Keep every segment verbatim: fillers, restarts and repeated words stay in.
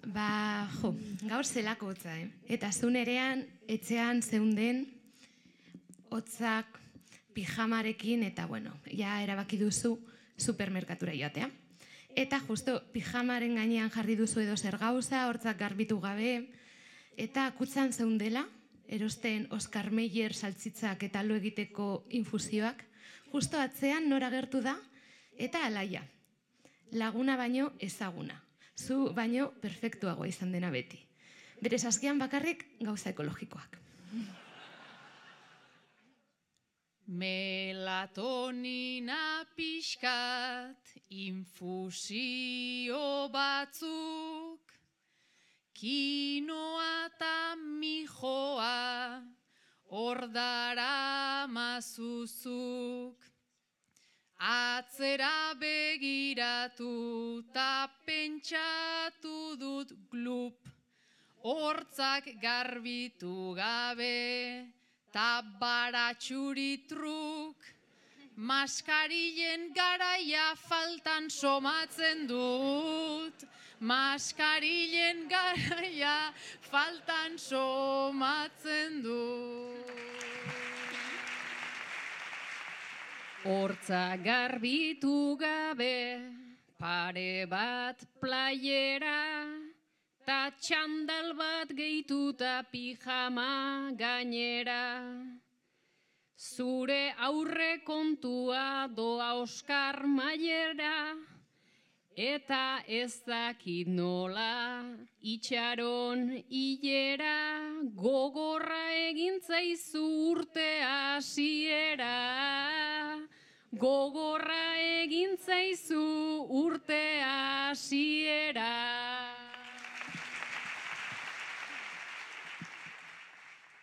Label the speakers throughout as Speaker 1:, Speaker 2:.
Speaker 1: Ba, jo, gaur zelako hotza, eh? Eta zu nerean, etxean zeunden, hotzak, pijamarekin, eta bueno, ja erabaki duzu supermerkatura joatea. Eta justo pijamaren gainean jarri duzu edo zer gauza, hortzak garbitu gabe, eta kutzan zeundela, erosten Oscar Mayer saltzitzak eta lo egiteko infusioak, justo atzean nora gertu da, eta alaia. Laguna baino ezaguna. Zu baino perfektuagoa izan dena beti. Bere saskian bakarrik gauza ekologikoak.
Speaker 2: Melatonina pixkat, infusio batzuk, kinoa eta mijoa, ordara mazuzuk. Atzera begiratu ta pentsatu dut glup, hortzak garbitu gabe, ta baratxuri truk, maskarilen garaia faltan somatzen dut, maskarilen garaia faltan somatzen dut. Hortza garbitu gabe, pare bat playera, ta txandal bat gehituta pijama gainera. Zure aurre kontua doa Oscar Mayera, eta ez dakit nola itxaron hilera, gogorra egintzaizu urte hasiera. Gogorra egintzaizu urte hasiera.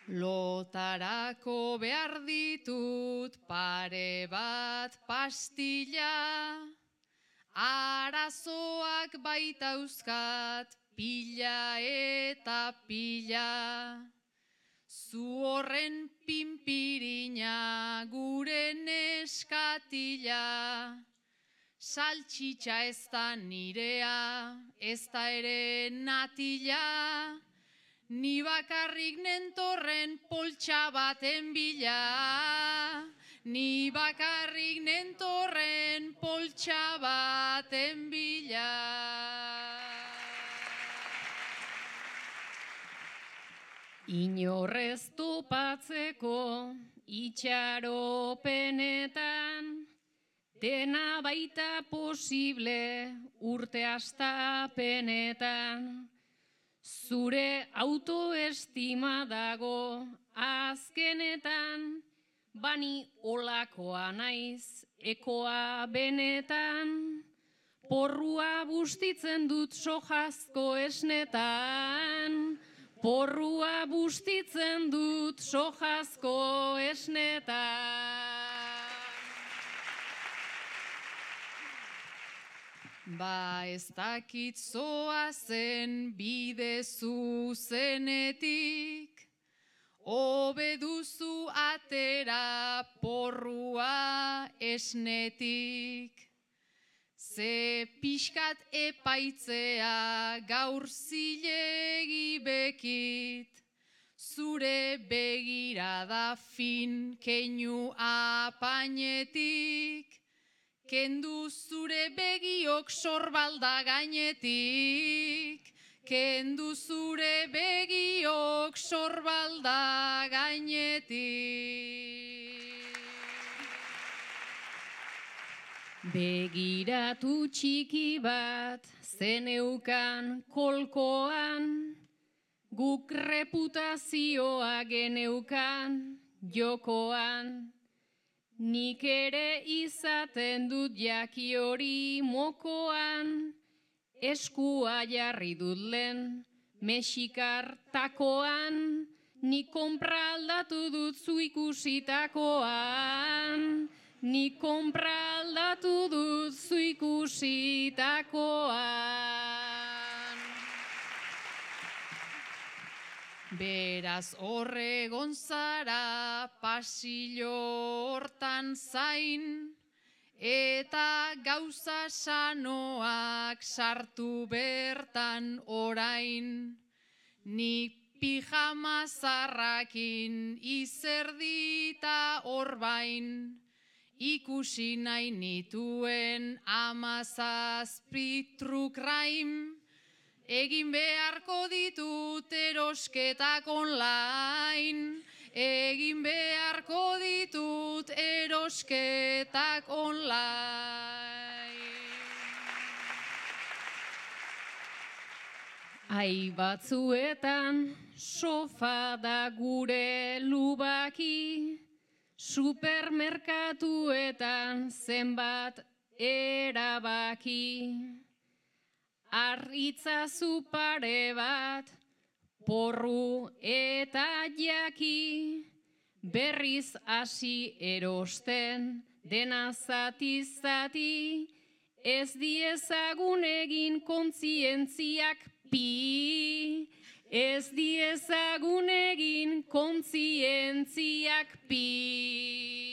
Speaker 2: Lotarako behar ditut pare bat pastilla, arazoak baitauzkat pila eta pila. Zu horren pinpirina gure neskatila, saltxitxa ez da nirea, ez da ere natila, ni bakarrik nentorren poltsa baten bila, ni bakarrik nentorren poltsa baten bila. Inorrez topatzeko itxaropenetan, dena baita posible urte hastapenetan. Zure autoestima dago azkenetan, bani olakoa naiz ekoa benetan, porrua bustitzen dut sojazko esnetan, porrua bustitzen dut sojazko esnetan. Ba ez dakit zoazen bide zuzenetik, hobe duzu atera porrua esnetik. Ze pixkat epaitzea gaur zilegi bekit, zure begirada fin keinu apainetik, kendu zure begiok sorbalda gainetik, kendu zure begiok sorbalda gainetik. Begiratu txiki bat zeneukan kolkoan, guk reputazioa geneukan jokoan. Nik ere izaten dut jaki hori mokoan, eskua jarri dut lehen mexikar takoan, nik konpra aldatu dut zu ikusitakoan. Nik konpra aldatu dut zu ikusitakoan. Beraz horregon zara pasillo hortan zain, eta gauza sanoak sartu bertan orain, nik pijama zarrakin izerdita orbain, ikusi nahi nituen amazazpi truk raim, egin beharko ditut erosketak online, egin beharko ditut erosketak online. Ai batzuetan sofa da gure lubaki, supermerkatuetan zenbat erabaki. Arritzazu pare bat, porru eta jaki, berriz hasi erosten dena zati-zati, ez diezagun egin kontzientziak pi, ez diezagun egin kontzientziak pi.